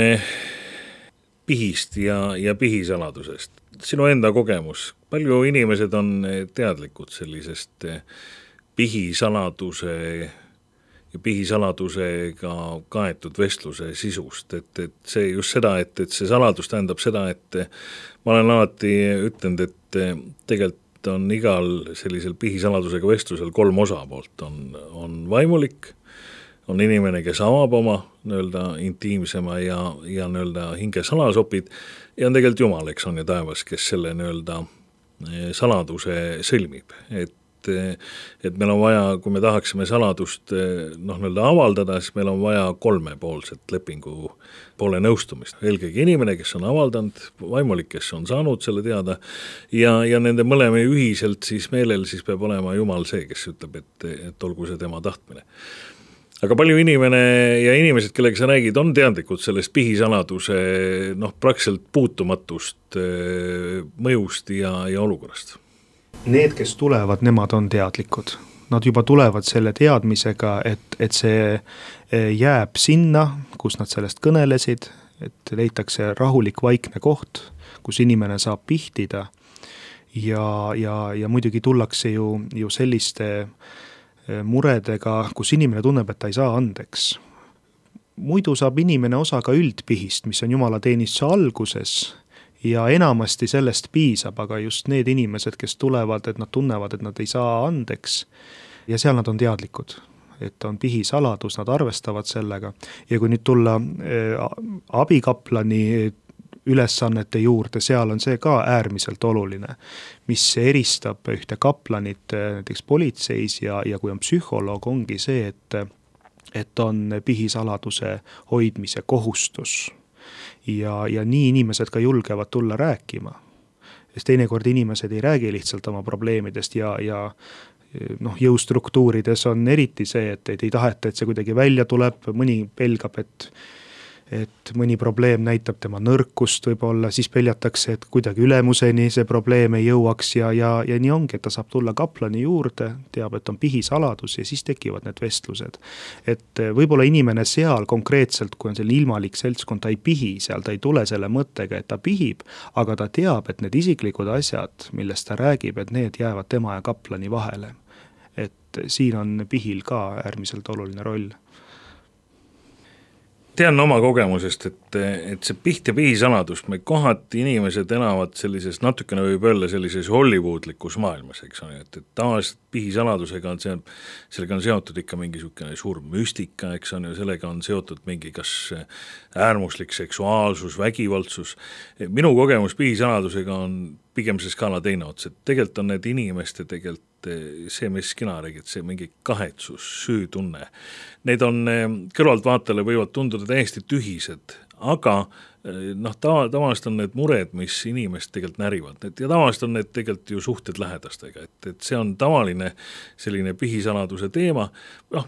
pihist ja pihisaladusest. Sinu enda kogemus, palju inimesed on teadlikud sellisest pihisaladuse pihisaladusega kaetud vestluse sisust, et see just seda, et see saladus tähendab seda, et ma olen alati ütlenud, et tegelikult on igal sellisel pihisaladusega vestlusel 3 osapoolt, on vaimulik, on inimene, kes avab oma nii-öelda intiimsema ja nii-öelda hinge salasopid ja on tegelikult Jumal, eks on ja taevas, kes selle nii-öelda saladuse sõlmib, et meil on vaja, kui me tahaksime saladust nii-öelda avaldada, siis meil on vaja 3-poolset lepingu poole nõustumist. Eelkõige inimene, kes on avaldanud, vaimulik, kes on saanud selle teada ja nende mõlema ühiselt siis meelel siis peab olema Jumal see, kes ütleb, et olgu see tema tahtmine. Aga palju inimene ja inimesed, kellega sa räägid, on teadlikud sellest pihisaladuse praktiliselt puutumatust mõjust ja olukorrast? Need, kes tulevad, nemad on teadlikud. Nad juba tulevad selle teadmisega, et see jääb sinna, kus nad sellest kõnelesid, et leitakse rahulik vaikne koht, kus inimene saab pihtida ja muidugi tullakse ju selliste muredega, kus inimene tunneb, et ta ei saa andeks. Muidu saab inimene osa ka üldpihist, mis on Jumala teenistuse alguses ja enamasti sellest piisab, aga just need inimesed, kes tulevad, et nad tunnevad, et nad ei saa andeks ja seal nad on teadlikud, et on pihisaladus, nad arvestavad sellega ja kui nüüd tulla abikaplani ülesannete juurde, seal on see ka äärmiselt oluline, mis eristab ühte kaplanit näiteks politseis ja kui on psühholoog, ongi see, et on pihisaladuse hoidmise kohustus ja nii inimesed ka julgevad tulla rääkima. Sest teinekord inimesed ei räägi lihtsalt oma probleemidest ja jõustruktuurides on eriti see, et ei taheta, et see kuidagi välja tuleb, mõni pelgab, et mõni probleem näitab tema nõrkust võib-olla, siis peljatakse, et kuidagi ülemuseni see probleem ei jõuaks ja nii ongi, et ta saab tulla kaplani juurde, teab, et on pihisaladus ja siis tekivad need vestlused. Et võib-olla inimene seal konkreetselt, kui on selline ilmalik seltskond, ta ei pihi seal, ta ei tule selle mõttega, et ta pihib, aga ta teab, et need isiklikud asjad, millest ta räägib, et need jäävad tema ja kaplani vahele. Et siin on pihil ka äärmiselt oluline roll. Tean oma kogemusest, et see piht ja pihisaladus, me kohati inimesed elavad sellises, natukene võib öelda sellises hollywoodlikus maailmas, eks on, et tavaliselt pihisaladusega on sellega on seotud ikka mingisugune suur müstika, eks on, ja sellega on seotud mingi kas äärmuslik seksuaalsus, vägivaldsus. Minu kogemus pihisaladusega on pigem see skaala teine ots, et tegelikult on need inimeste tegelikult see, mis kina räägid, see mingi kahetsus, süütunne. Need on kõrvaltvaatajale võivad tunduda täiesti tühised, aga tavaliselt on need mured, mis inimest tegelikult närivad. Ja tavaliselt on need tegelikult ju suhted lähedastega, et see on tavaline selline pihisaladuse teema.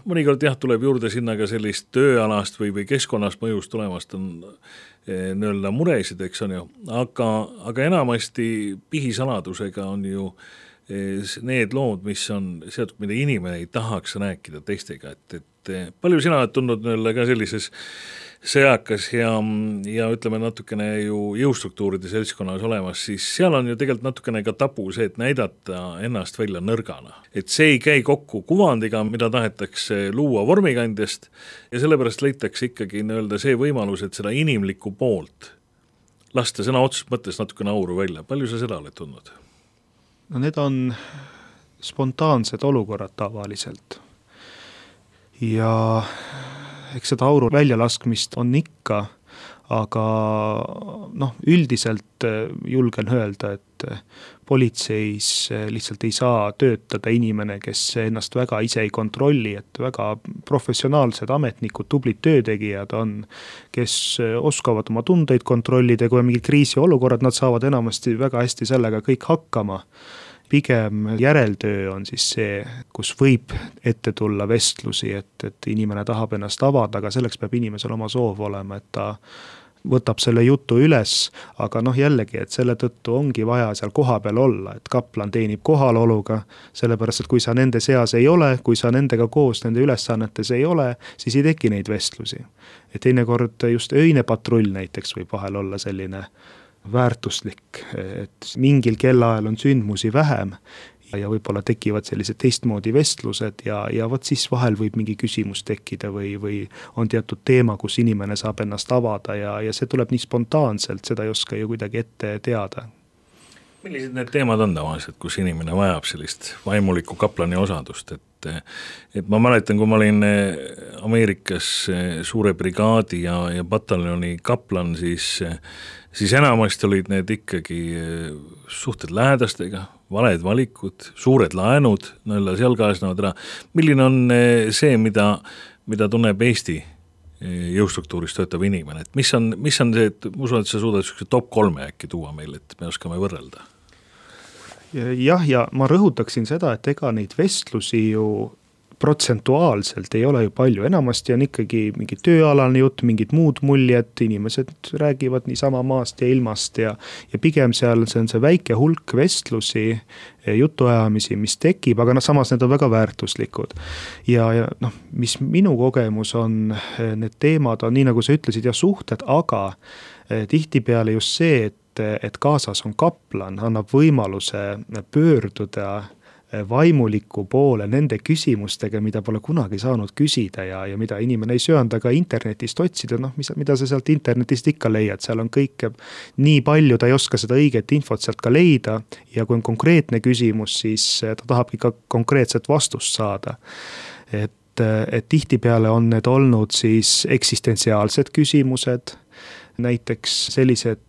Mõnikord tuleb juurde sinna ka sellist tööalast või keskkonnast mõjust tulemast on nii-öelda muresid, eks on ju, aga enamasti pihisaladusega on ju need lood, mis on seotud, mida inimene ei tahaks rääkida teistega, et palju sina oled tundnud nii-öelda ka sellises sõjakas ja ütleme natukene ju jõustruktuuride seltskonnas olemas, siis seal on ju tegelikult natukene ka tabu see, et näidata ennast välja nõrgana. Et see ei käi kokku kuvandiga, mida tahetakse luua vormikandjast ja sellepärast leitakse ikkagi nii-öelda see võimalus, et seda inimlikku poolt lasta sõna otseses mõttes natukene auru välja. Palju sa seda oled tundnud? No need on spontaansed olukorrad tavaliselt ja eks seda auru väljalaskmist on ikka, aga üldiselt julgen öelda, et politseis lihtsalt ei saa töötada inimene, kes ennast väga ise ei kontrolli, et väga professionaalsed ametnikud, tublid töötegijad on, kes oskavad oma tundeid kontrollida, kui on mingid kriisiolukorrad, nad saavad enamasti väga hästi sellega kõik hakkama. Pigem järeltöö on siis see, kus võib ette tulla vestlusi, et inimene tahab ennast avada, aga selleks peab inimesel oma soov olema, et ta võtab selle jutu üles, aga jällegi, et selle tõttu ongi vaja seal koha peal olla, et kaplan teenib kohaloluga, sellepärast, et kui sa nende seas ei ole, kui sa nendega koos nende ülesannetes ei ole, siis ei teki neid vestlusi. Et teinekord just öine patrull näiteks võib vahel olla selline väärtuslik, et mingil kellaajal on sündmusi vähem ja võib-olla tekivad sellised teistmoodi vestlused ja vot siis vahel võib mingi küsimus tekkida või on teatud teema, kus inimene saab ennast avada ja see tuleb nii spontaanselt, seda ei oska ju kuidagi ette teada. Millised need teemad on tavaliselt, kus inimene vajab sellist vaimuliku kaplani osadust, et ma mäletan, kui ma olin Ameerikas suure brigaadi ja pataljoni kaplan, siis enamasti olid need ikkagi suhted lähedastega, valed valikud, suured laenud, seal kaasnevad ära. Milline on see, mida tunneb Eesti jõustruktuuris töötav inimene, et mis on see, et ma usun, et sa suudad top 3 äkki tuua meil, et me oskame võrrelda? Jah, ja ma rõhutaksin seda, et ega neid vestlusi ju protsentuaalselt ei ole ju palju, enamasti on ikkagi mingi tööalane jutt, mingid muud muljed, inimesed räägivad niisama maast ja ilmast ja pigem seal see on see väike hulk vestlusi, jutuajamisi, mis tekib, aga samas need on väga väärtuslikud. Ja mis minu kogemus on, need teemad on nii, nagu sa ütlesid, ja suhted, aga tihtipeale just see, et kaasas on kaplan, annab võimaluse pöörduda vaimuliku poole nende küsimustega, mida pole kunagi saanud küsida ja mida inimene ei söanda ka internetist otsida, mida sa sealt internetist ikka leiad, seal on kõike nii palju, ta ei oska seda õiget infot sealt ka leida ja kui on konkreetne küsimus, siis ta tahab ikka konkreetset vastust saada. Et tihtipeale on need olnud siis eksistentsiaalsed küsimused, näiteks sellised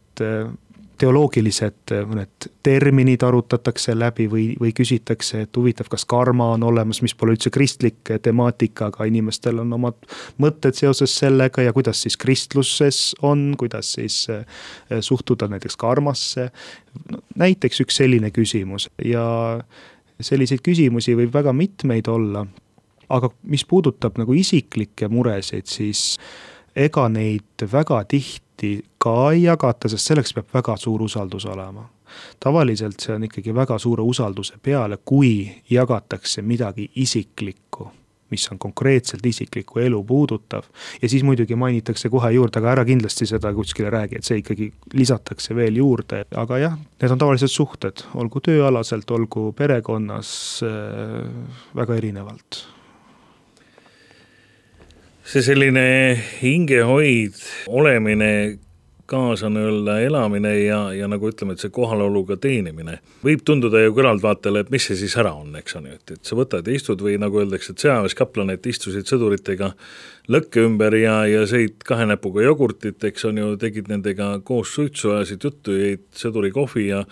teoloogilised mõned terminid arutatakse läbi või küsitakse, et huvitav, kas karma on olemas, mis pole üldse kristlik temaatika, aga inimestel on omad mõtted seoses sellega ja kuidas siis kristluses on, kuidas siis suhtuda näiteks karmasse. Näiteks üks selline küsimus ja selliseid küsimusi võib väga mitmeid olla, aga mis puudutab nagu isiklikke muresid, siis ega neid väga tihti ka ei jagata, sest selleks peab väga suur usaldus olema. Tavaliselt see on ikkagi väga suure usalduse peale, kui jagatakse midagi isiklikku, mis on konkreetselt isiklikku elu puudutav. Ja siis muidugi mainitakse kohe juurde, aga ära kindlasti seda kuskile räägi, et see ikkagi lisatakse veel juurde. Aga jah, need on tavaliselt suhted, olgu tööalaselt, olgu perekonnas, väga erinevalt. See selline hingehoid, olemine, kaasa elamine ja nagu ütleme, et see kohaloluga teenimine võib tunduda ju kõrvaltvaatajale, et mis see siis ära on, eks on ju, et sa võtad ja istud või nagu öeldakse, et sõjaväeskaplan, et istusid sõduritega lõkke ümber ja sõid 2 näpuga jogurtit, eks on ju, tegid nendega koos suitsu, ajasid juttu, jäid sõduri kohvi ja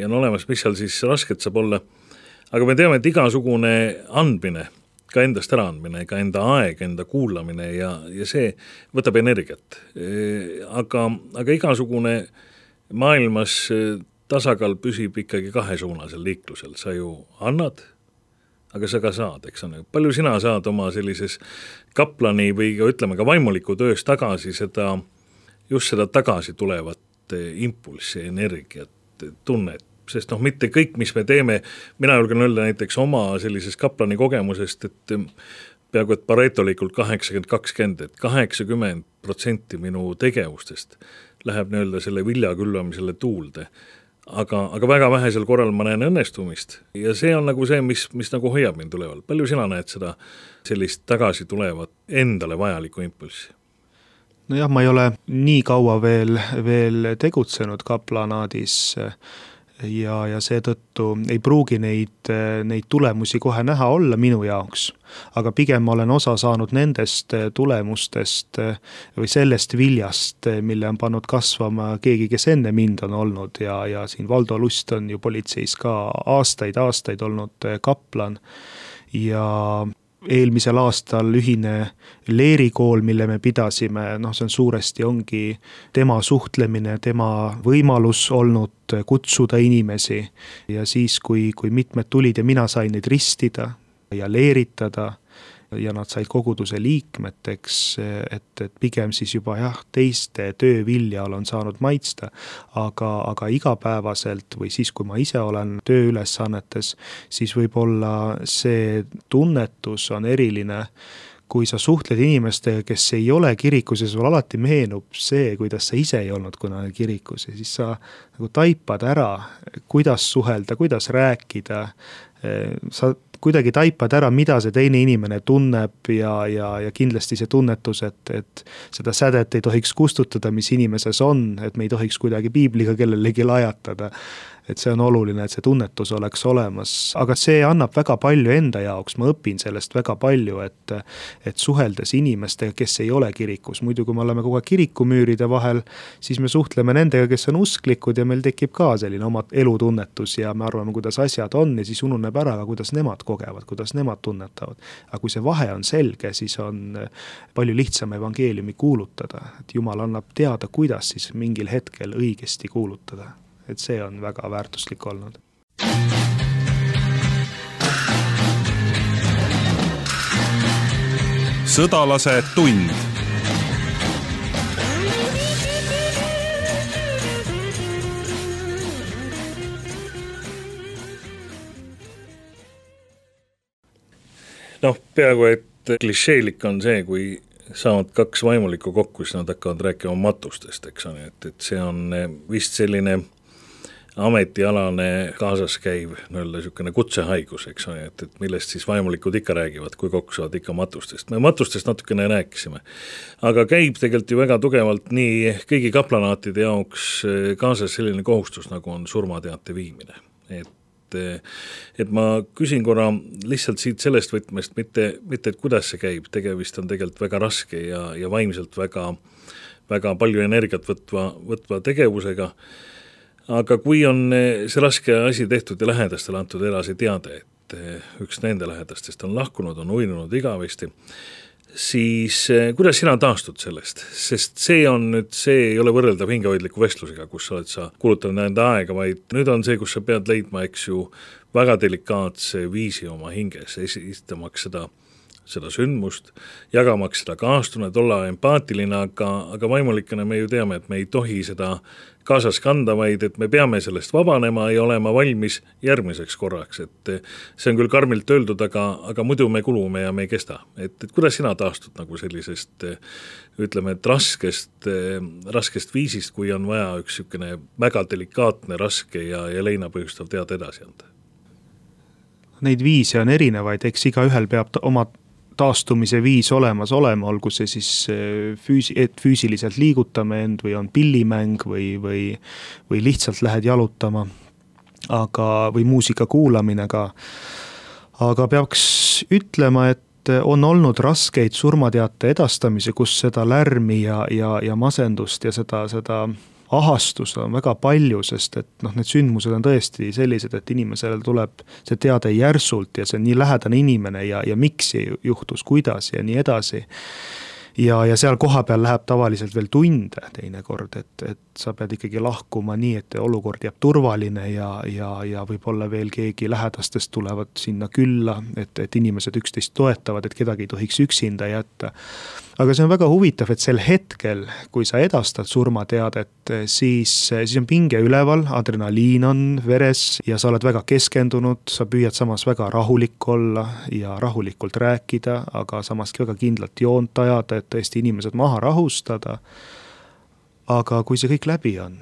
on olemas, mis seal siis rasket saab olla. Aga me teame, et igasugune andmine, ka endast äraandmine, ka enda aeg, enda kuulamine ja see võtab energiat. Aga igasugune maailmas tasakaal püsib ikkagi 2-suunasel liiklusel. Sa ju annad, aga sa ka saad, eks on. Palju sina saad oma sellises kaplani või ütleme ka vaimuliku töös tagasi just seda tagasi tulevat impulssi, energiat, tunnet. Sest mitte kõik, mis me teeme, mina julgen öelda näiteks oma sellises kaplani kogemusest, et peaaegu et paretolikult 80-20, et 80% minu tegevustest läheb selle vilja külvamisele tuulde. Aga väga vähesel korral ma näen õnnestumist ja see on nagu see, mis nagu hoiab mind tuleval. Palju sina näed seda sellist tagasi tulevat endale vajalikku impulssi? Nojah, ma ei ole nii kaua veel tegutsenud kaplanaadis ja seetõttu ei pruugi neid tulemusi kohe näha olla minu jaoks, aga pigem ma olen osa saanud nendest tulemustest või sellest viljast, mille on pannud kasvama keegi, kes enne mind on olnud ja siin Valdo Lust on ju politseis ka aastaid olnud kaplan ja eelmisel aastal ühine leerikool, mille me pidasime, see on suuresti ongi tema suhtlemine, tema võimalus olnud kutsuda inimesi ja siis, kui mitmed tulid ja mina sain neid ristida ja leeritada ja nad said koguduse liikmeteks, et pigem siis juba teiste tööviljal on saanud maitsta, aga igapäevaselt või siis, kui ma ise olen tööülesannetes, siis võib-olla see tunnetus on eriline, kui sa suhtled inimestega, kes ei ole kirikus ja sul alati meenub see, kuidas sa ise ei olnud kunagi kirikus ja siis sa nagu taipad ära, kuidas suhelda, kuidas rääkida sa kuidagi taipad ära, mida see teine inimene tunneb ja kindlasti see tunnetus, et seda sädet ei tohiks kustutada, mis inimeses on, et me ei tohiks kuidagi piibliga kellelegi lajatada. Et see on oluline, et see tunnetus oleks olemas, aga see annab väga palju enda jaoks, ma õpin sellest väga palju, et suheldes inimestega, kes ei ole kirikus, muidu kui me oleme kogu aeg kirikumüüride vahel, siis me suhtleme nendega, kes on usklikud ja meil tekib ka selline oma elutunnetus ja me arvame, kuidas asjad on ja siis ununeb ära, kuidas nemad kogevad, kuidas nemad tunnetavad. Aga kui see vahe on selge, siis on palju lihtsam evangeeliumi kuulutada, et Jumal annab teada, kuidas siis mingil hetkel õigesti kuulutada. Et see on väga väärtuslik olnud. Sõdalase tund. Peaaegu, et klišeelik on see, kui saavad kaks vaimulikku kokku, siis nad hakkavad rääkima matustest, eks on, et see on vist selline ametialane kaasas käiv niisugune kutsehaigus, eks on, et millest siis vaimulikud ikka räägivad, kui kokku saavad ikka matustest. Me matustest natukene rääkisime, aga käib tegelikult ju väga tugevalt nii kõigi kaplanaatide jaoks kaasas selline kohustus, nagu on surmateate viimine. Et ma küsin korra lihtsalt siit sellest võtmest, mitte et kuidas see käib, tegemist on tegelikult väga raske ja vaimselt väga palju energiat võtva tegevusega. Aga kui on see raske asi tehtud ja lähedastele antud edasi teade, et üks nende lähedastest on lahkunud, on uinunud igavesti, siis kuidas sina taastud sellest? Sest see ei ole võrreldav hingehoidliku vestlusega, kus sa kulutanud enda aega, vaid nüüd on see, kus sa pead leidma, eks ju, väga delikaatse viisi oma hinges, esitamaks seda sündmust, jagamaks seda kaastunnet, olla empaatiline, aga vaimulikena me ju teame, et me ei tohi seda kaasas kanda, vaid et me peame sellest vabanema ja olema valmis järgmiseks korraks, et see on küll karmilt öeldud, aga muidu me kulume ja me ei kesta. Et kuidas sina taastud nagu sellisest, ütleme, et raskest viisist, kui on vaja üks väga delikaatne, raske ja leina põhjustav teada edasi anda? Neid viise on erinevaid, eks igaühel peab oma taastumise viis olema, olgu see siis et füüsiliselt liigutame end või on pillimäng või lihtsalt lähed jalutama, või muusika kuulamine ka. Aga peaks ütlema, et on olnud raskeid surmateate edastamise, kus seda lärmi ja masendust ja seda ahastust on väga palju, sest et need sündmused on tõesti sellised, et inimesele tuleb see teade järsult ja see on nii lähedane inimene ja miks juhtus, kuidas ja nii edasi. Ja seal koha peal läheb tavaliselt veel tunde teinekord, et sa pead ikkagi lahkuma nii, et olukord jääb turvaline ja võib-olla veel keegi lähedastest tulevad sinna külla, et inimesed üksteist toetavad, et kedagi ei tohiks üksinda jätta. Aga see on väga huvitav, et sel hetkel, kui sa edastad surmateadet, siis on pinge üleval, adrenaliin on veres ja sa oled väga keskendunud, sa püüad samas väga rahulik olla ja rahulikult rääkida, aga samas väga kindlalt joont ajada, et tõesti inimesed maha rahustada. Aga kui see kõik läbi on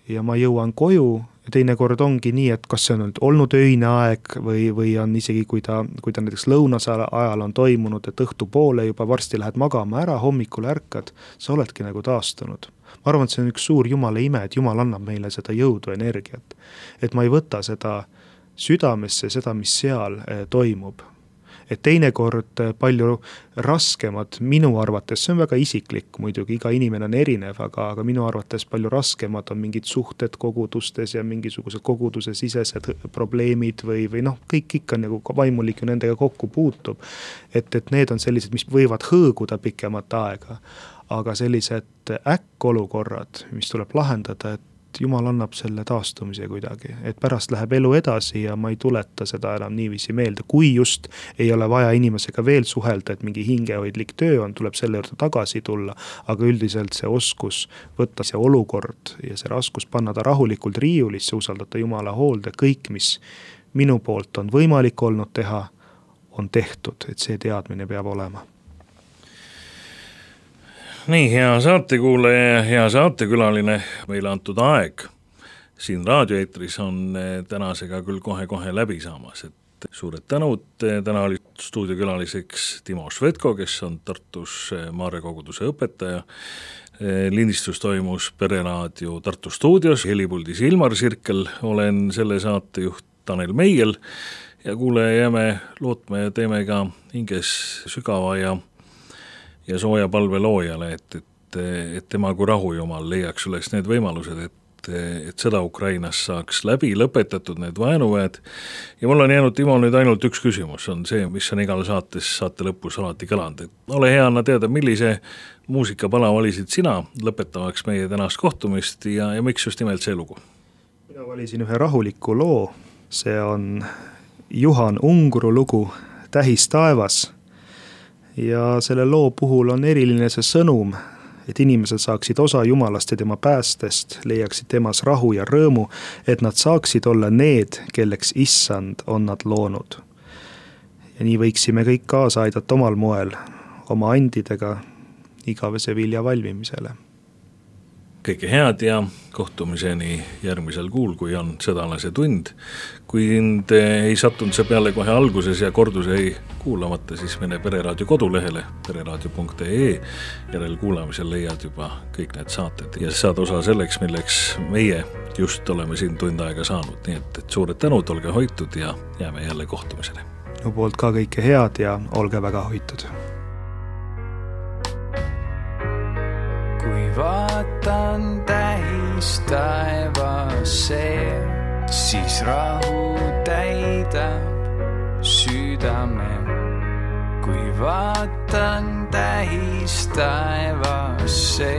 ja ma jõuan koju, teinekord ongi nii, et kas see on olnud öine aeg või on isegi, kui ta näiteks lõunasel ajal on toimunud, et õhtu poole juba varsti lähed magama ära, hommikul ärkad, sa oledki nagu taastunud. Ma arvan, et see on üks suur Jumala ime, et Jumal annab meile seda jõudu, energiat. Et ma ei võta seda südamesse, seda, mis seal toimub. Et teinekord palju raskemad minu arvates, see on väga isiklik muidugi, iga inimene on erinev, aga minu arvates palju raskemad on mingid suhted kogudustes ja mingisugused koguduse sisesed probleemid või kõik ikka nagu vaimulik ju nendega kokku puutub. Et need on sellised, mis võivad hõõguda pikemat aega, aga sellised äkkolukorrad, mis tuleb lahendada, et Jumal annab selle taastumise kuidagi, et pärast läheb elu edasi ja ma ei tuleta seda enam niiviisi meelde, kui just ei ole vaja inimesega veel suhelda, et mingi hingehoidlik töö on, tuleb selle juurde tagasi tulla, aga üldiselt see oskus võtta see olukord ja see raskus panna ta rahulikult riiulisse, usaldada Jumala hoolde, kõik, mis minu poolt on võimalik olnud teha, on tehtud, et see teadmine peab olema. Nii, hea saatekuulaja ja hea saatekülaline, meile antud aeg siin raadioeetris on tänasega küll kohe läbi saamas, et suured tänud, täna oli stuudiokülaliseks Timo Švedko, kes on Tartus Maarja koguduse õpetaja. Lindistus toimus Pereraadio Tartu stuudios, helipuldis Ilmar Sirkel, olen selle saatejuht Tanel Meiel ja kuule, jääme lootma ja teeme ka hinges sügava ja sooja palve loojale, et tema kui rahujumal leiaks üles need võimalused, et sõda Ukrainas saaks läbi lõpetatud, need vaenuväed. Ja mul on jäänud, Timo, nüüd ainult üks küsimus, on see, mis on igal saate lõpus alati kõlanud. Ole hea, anna teada, millise muusikapala valisid sina lõpetamaks meie tänast kohtumist ja miks just nimelt see lugu? Mina valisin ühe rahuliku loo, see on Juhan Ungru lugu Tähis taevas ja selle loo puhul on eriline see sõnum, et inimesed saaksid osa Jumalast ja tema päästest, leiaksid temas rahu ja rõõmu, et nad saaksid olla need, kelleks issand on nad loonud. Ja nii võiksime kõik kaasa aidata omal moel, oma andidega igavese vilja valmimisele. Kõike head ja kohtumiseni järgmisel kuul, kui on sõdalase tund. Kui sind ei sattunud see peale kohe alguses ja kordus ei kuulamata, siis mene Pereraadio kodulehele pereraadio.ee. Järel kuulamisel leiad juba kõik need saated ja saad osa selleks, milleks meie just oleme siin tund aega saanud. Nii et suured tänud, olge hoitud ja jääme jälle kohtumisele. No poolt ka kõike head ja olge väga hoitud. Kui vaatan tähis taevasse, siis rahu täidab südame. Kui vaatan tähis taevasse,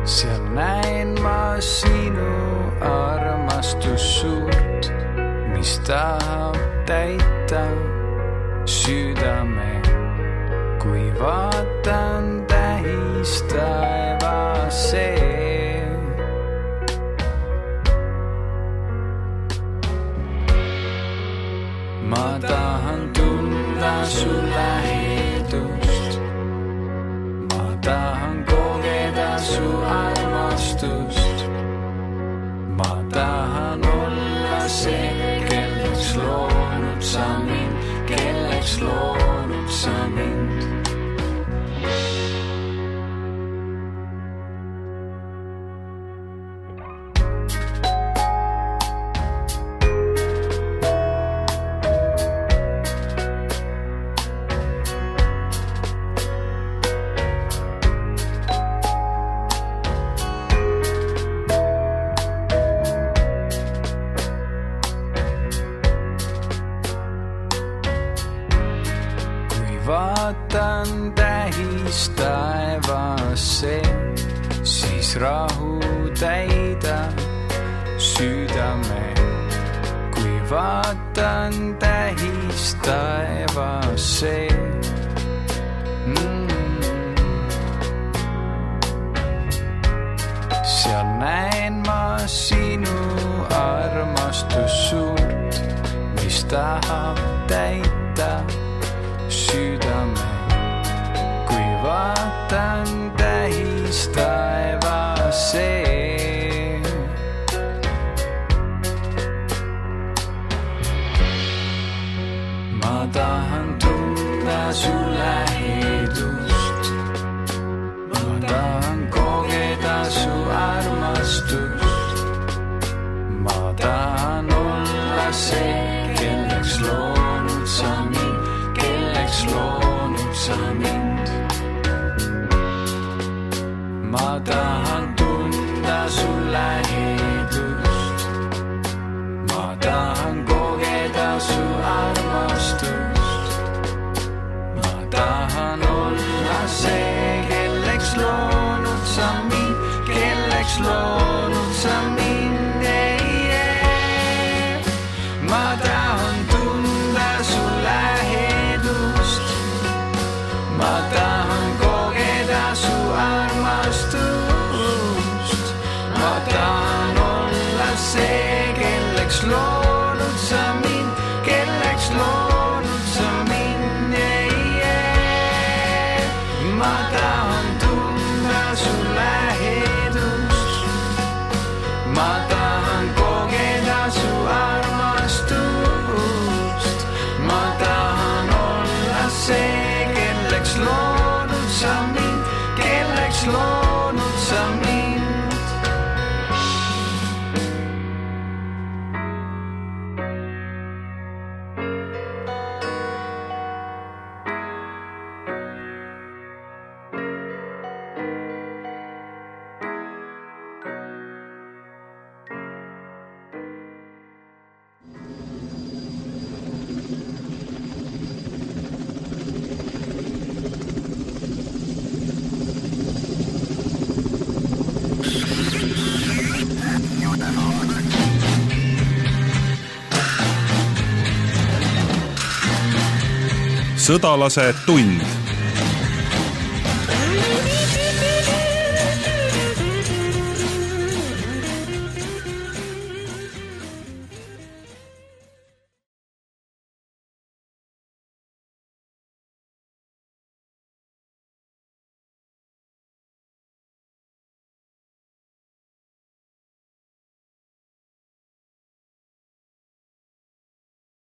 seal näen ma sinu armastus suurt, mis tahab täita südame. Kui vaatan tähis taevasse, ma tahan tunda su lähedust, ma tahan kogeda su armastust, ma tahan olla see, kelleks loonud sa mind, kelleks loonud sa mind. Vaatan tähis taevasse, siis rahu täidab südame. Kui vaatan tähis taevasse, seal näen ma sinu armastus suurt, mis tahab täita südame. Kui vaatan tähis taevasse, ma tahan tunda su lähedust, ma tahan kogeda su armastust, ma tahan olla see, kelleks loonud sa mind, kelleks loonud sa mind. Ma tahan tunda su lähedust, ma tahan kogeda su armastust, ma tahan olla see, kelleks loonud sa mind, kelleks loonud sa mind. Ma tahan tunda su lähedust, ma tahan kogeda su armastust, ma tahan olla see, kelleks loonud sa mind, kelleks loonud sa mind. Ma tahan tunda su lähedust, Sõdalase tund